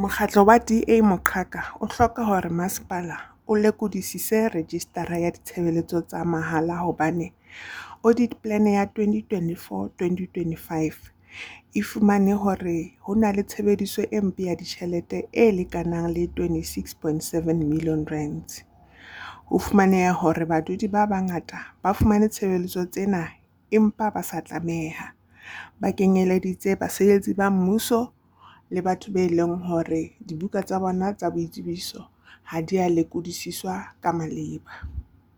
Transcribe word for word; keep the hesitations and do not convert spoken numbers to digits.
Mokgatlo wa D A Moqhaka o hloka hore masepala o lekodisise rejistara ya ditshebeletso tsa mahala hobane audit plan ya twenty twenty-four, twenty twenty-five e fumane hore ho na le tshebediso e mpe ya ditjhelete e lekanang le twenty-six point seven million rands. Ho fumaneha hore badudi ba bangata ba fumane tshebeletso tsena empa ba sa tlameha. Ba kenyeleditse basebetsi ba mmuso le batho be leng hore dibuka tsa bona tsa boitsebiso ha di a lekodisiswa ka maleba.